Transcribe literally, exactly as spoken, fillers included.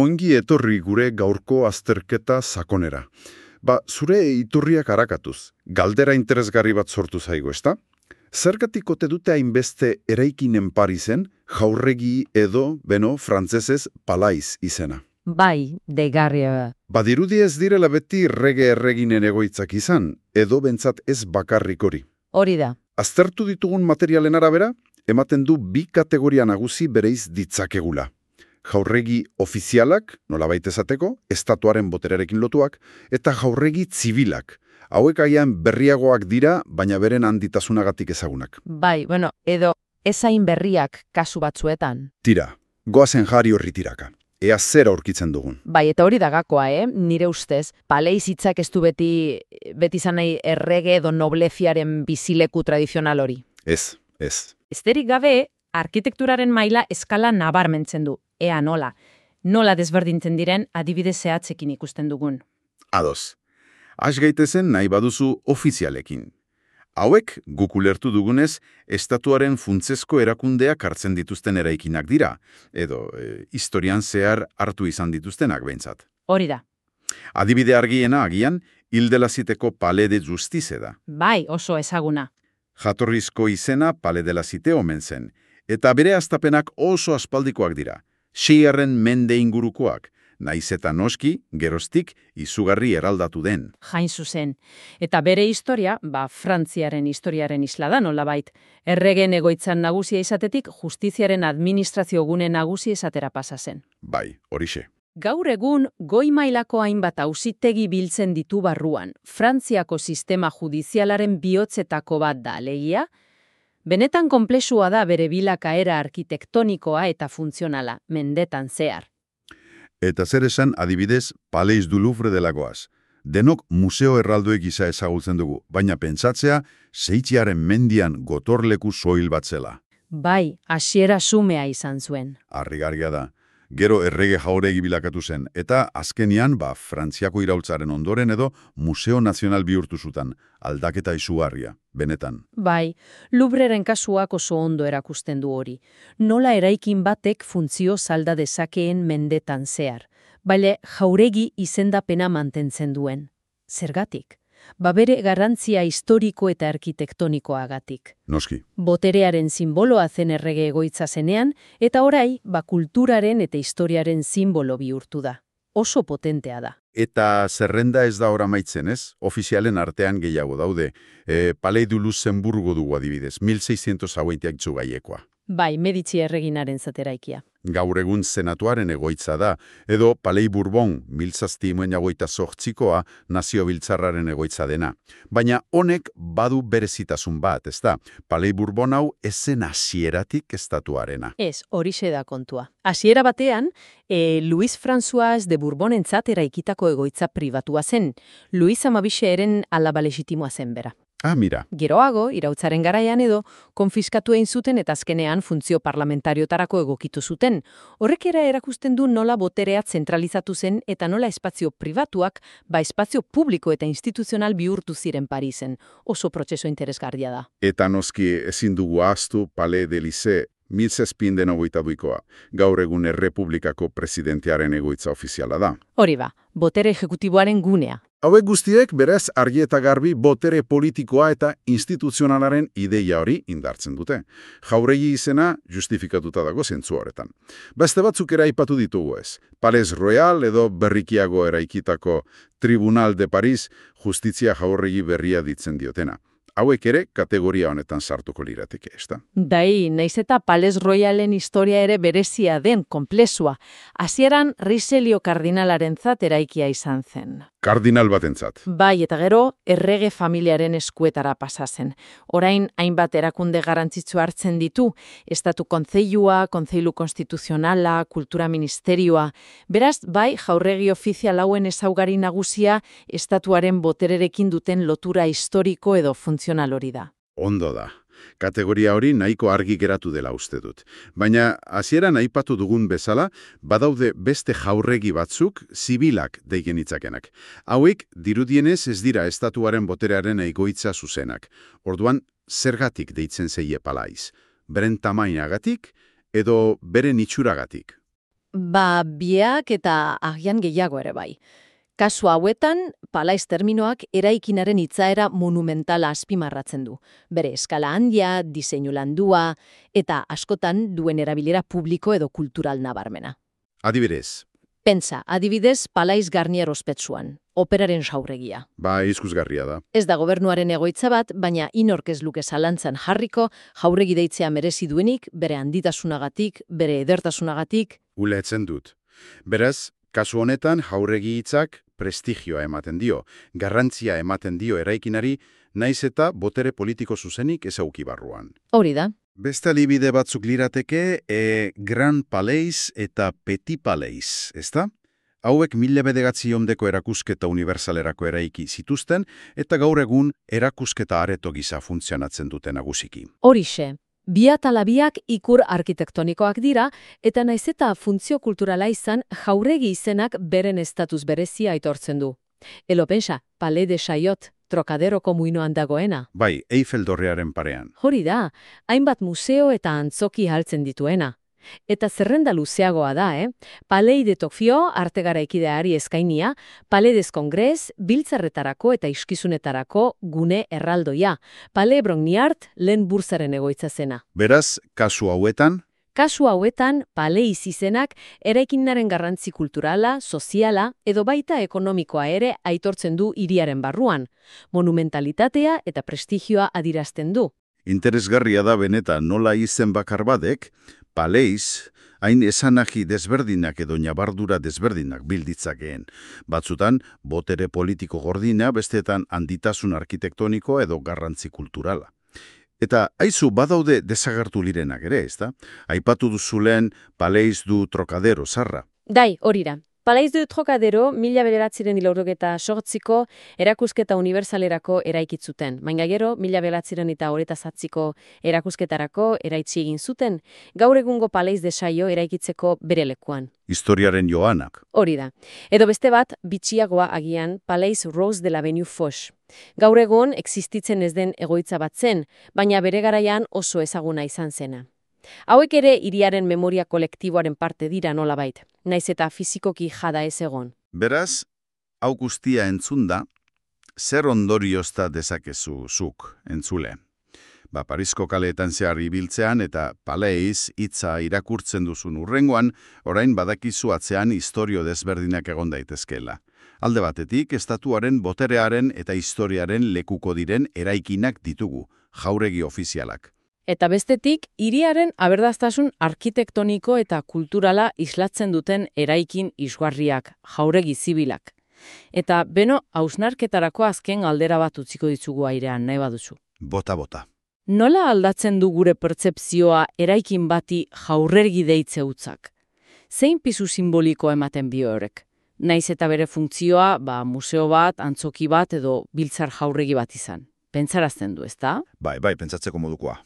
Ongi etorri gure gaurko azterketa sakonera. Ba, zure iturriak arakatuz, galdera interesgarri bat sortu zaigu, ezta? Zergatik ote dute hainbeste eraikinen Parisen, jaurregi edo, beno, frantsesez palais izena? Bai, deigarria. Badirudi ez direla beti rege erreginen egoitzak izan, edo bentsat ez bakarrik hori. Hori da. Aztertu ditugun materialen arabera, ematen du bi kategoria nagusi bereiz ditzakegula. Jaurregi ofizialak, nolabait esateko, estatuaren boterearekin lotuak, eta jaurregi zibilak. Hauek agian berriagoak dira, baina beren handitasunagatik ezagunak. Bai, bueno, edo ezain berriak kasu batzuetan. Tira, goazen jari horri tiraka. Ea zera aurkitzen dugun. Bai, eta hori da gakoa, eh? Nire ustez, palais hitzak ez du beti, beti izan nahi errege edo nobleziaren bizileku tradizional hori. Ez, ez. Esterik gabe, arkitekturaren maila eskala nabarmentzen du. Ea nola. Nola desberdintzen diren adibide zehatzekin ikusten dugun. Ados. Has gaitezen nahi baduzu ofizialekin. Hauek, guk ulertu dugunez, estatuaren funtsezko erakundeak hartzen dituzten eraikinak dira, edo e, historian zehar hartu izan dituztenak behintzat. Hori da. Adibide argiena agian, Hildelaziteko Palais de Justice da. Bai, oso ezaguna. Jatorrizko izena Palais de la Cité omen zen, eta bere hastapenak oso aspaldikoak dira. Seigarren mende ingurukoak, naiz eta noski, geroztik, izugarri eraldatu den. Jain zuzen. Eta bere historia, ba, Frantziaren historiaren isla da nolabait. Erregen egoitzan nagusia izatetik, justiziaren administrazio gune nagusi esatera pasa zen. Bai, horixe. Gaur egun, goi mailako hainbat auzitegi biltzen ditu barruan. Frantziako sistema judizialaren bihotzetako bat da, alegia. Benetan konplexua da bere bilakaera arkitektonikoa eta funtzionala, mendetan zehar. Eta zer esan adibidez Palais du Louvre delakoaz. Denok museo erraldoek gisa ezagutzen dugu, baina pentsatzea Seitziaren mendian gotorleku soil bat zela. Bai, hasiera xumea izan zuen. Harrigarria da. Gero errege jauregi bilakatu zen, eta azkenian, ba, Frantziako iraultzaren ondoren edo Museo Nazional bihurtu zutan, aldaketa izugarria, benetan. Bai, Louvreren kasuak oso ondo erakusten du hori. Nola eraikin batek funtzio salda dezakeen mendetan zehar, baina jauregi izendapena mantentzen duen. Zergatik? Ba bere garrantzia historiko eta arkitektonikoagatik. Noski. Boterearen simboloa zen errege egoitza zenean, eta orai, ba kulturaren eta historiaren simbolo bihurtu da. Oso potentea da. Eta zerrenda ez da ora maitzen, ez? Ofizialen artean gehiago daude. E, Palais du Luxemburgo dugu adibidez, mil seiscientos hogeitak gaiekoa. Bai, Medici erreginaren zateraikia. Gaur egun senatuaren egoitza da, edo Palais Bourbon, mil zazpimuen jagoita zortzikoa, nazio biltzarraren egoitza dena. Baina honek badu berezitasun bat, ez da? Palais Bourbon hau ezen hasieratik estatuarena. Ez, horixe da kontua. Hasiera batean, e, Louis François de Bourbonentzat eraikitako egoitza pribatua zen. Louis Amabixeren alaba legitimoa zen bera. Ah, mira. Geroago, irautzaren garaian edo, konfiskatu egin zuten eta azkenean funtzio parlamentariotarako egokitu zuten. Horrek era erakusten du nola boterea zentralizatu zen eta nola espazio pribatuak, ba espazio publiko eta instituzional bihurtu ziren Parisen. Oso prozesu interesgarria da. Eta noski ezin dugu ahaztu Palais de l'Élysée, mil zazpiehun hogeita bikoa, gaur egun errepublikako presidentearen egoitza ofiziala da. Hori ba, botere ejekutiboaren gunea. Hauek guztiek berez argi eta garbi botere politikoa eta instituzionalaren ideia hori indartzen dute. Jauregi izena justifikatuta dago zentzu horretan. Beste batzuk ere aipatu ditugu ez. Palais Royal edo berrikiago eraikitako Tribunal de Paris justizia jauregi berria ditzen diotena. Hauek ere kategoria honetan sartuko lirateke, ezta? Dai, naiz eta Palais Royalen historia ere berezia den, konplexua. Hasieran Richelieu kardinalarentzat eraikia izan zen. Kardinal batentzat. Bai, eta gero errege familiaren eskuetara pasa zen. Orain hainbat erakunde garrantzitsu hartzen ditu, estatu kontseilua, kontseilu konstituzionala, kultura ministerioa. Beraz, bai, jaurregi ofizial hauen ezaugarri nagusia estatuaren botererekin duten lotura historiko edo funtzional hori da. Ondo da. Kategoria hori nahiko argi geratu dela uste dut. Baina, hasieran aipatu dugun bezala, badaude beste jaurregi batzuk zibilak deigen hitzakenak. Hauek, dirudienez ez dira estatuaren boterearen egoitza zuzenak. Orduan, zergatik deitzen zeie palais? Beren tamainagatik edo beren itxuragatik? Ba, biak eta agian gehiago ere bai. Kasu hauetan, palaiz terminoak eraikinaren itzaera monumentala azpimarratzen du. Bere eskala handia, diseinu landua, eta askotan duen erabilera publiko edo kultural nabarmena. Adibidez. Pentsa, adibidez, palaiz Garnier ospetsuan, operaren jauregia. Ba, izkusgarria da. Ez da gobernuaren egoitza bat, baina inork ez luke zalantzan jarriko, jauregi deitzea merezi duenik, bere handitasunagatik, bere edertasunagatik. Ulertzen dut. Beraz, kasu honetan jauregi hitzak prestigioa ematen dio, garrantzia ematen dio eraikinari, naiz eta botere politiko zuzenik ezauki barruan. Hori da. Beste adibide batzuk lirateke, e, Grand Palais eta Petit Palais, ezta? Hauek mila bederatziehundeko erakusketa unibersalerako eraiki zituzten, eta gaur egun erakusketa areto gisa funtzionatzen dute nagusiki. Horixe. Biat ala biak ikur arkitektonikoak dira, eta naiz eta funtzio kulturala izan jauregi izenak beren estatuz berezia aitortzen du. Elo pensa, Palais de Chaillot, Trokaderoko muinoan dagoena. Bai, Eiffel dorrearen parean. Hori da, hainbat museo eta antzoki haltzen dituena. Eta zerrenda luzeagoa da, eh? Palais de Tokyo arte garaikideari eskainia, Palais des Congrès biltzarretarako eta iskizunetarako gune erraldoia, Palais Brongniart lehen bursaren egoitza zena. Beraz, kasu hauetan, Kasu hauetan, palais izenak eraikinaren garrantzi kulturala, soziala edo baita ekonomikoa ere aitortzen du hiriaren barruan, monumentalitatea eta prestigioa adirazten du. interesgarria da benetan nola izen bakar badek, palais, hain esanagi desberdinak edo ñabardura desberdinak bilditzakeen. Batzutan, botere politiko gordina, bestetan handitasun arkitektoniko edo garrantzi kulturala. Eta aizu badaude desagertu lirenak ere, ezta? Aipatu duzulen Palais du Trocadero zarra. Dai, horira. Palais du Trocadero mila bederatziren hilaurogeta sortziko erakusketa unibersalerako eraikitzuten. Baina gero, mila bederatziren eta horeta zatziko erakusketarako eraitsi egin zuten, gaur egungo Palais de Chaillot eraikitzeko bere lekuan. Historiaren joanak. Hori da. Edo beste bat, bitxiagoa agian Palais Rose de l'Avenue Foch. Gaur egun existitzen ez den egoitza bat zen, baina bere garaian oso ezaguna izan zena. Hauek ere hiriaren memoria kolektiboaren parte dira nolabait, naiz eta fizikoki jada ez egon. Beraz, hau guztia entzunda, zer ondoriozta dezakezu zuk entzule? Ba, Parisko kaleetan zehar ibiltzean eta Palais hitza irakurtzen duzun urrengoan, orain badakizu atzean istorio desberdinak egon daitezkeela. Alde batetik, estatuaren boterearen eta historiaren lekuko diren eraikinak ditugu, jauregi ofizialak. Eta bestetik, hiriaren aberdaztasun arkitektoniko eta kulturala islatzen duten eraikin isgarriak, jauregi zibilak. Eta beno, hausnarketarako azken galdera bat utziko ditugu airean, nahi baduzu. Bota-bota. Nola aldatzen du gure pertzepzioa eraikin bati jauregi deitze utzak? Zein pisu simboliko ematen bio horrek? Naiz eta bere funtzioa, ba, museo bat, antzoki bat edo biltzar jauregi bat izan. Pentsarazten du, ezta? Bai, bai, pentsatzeko modukoa.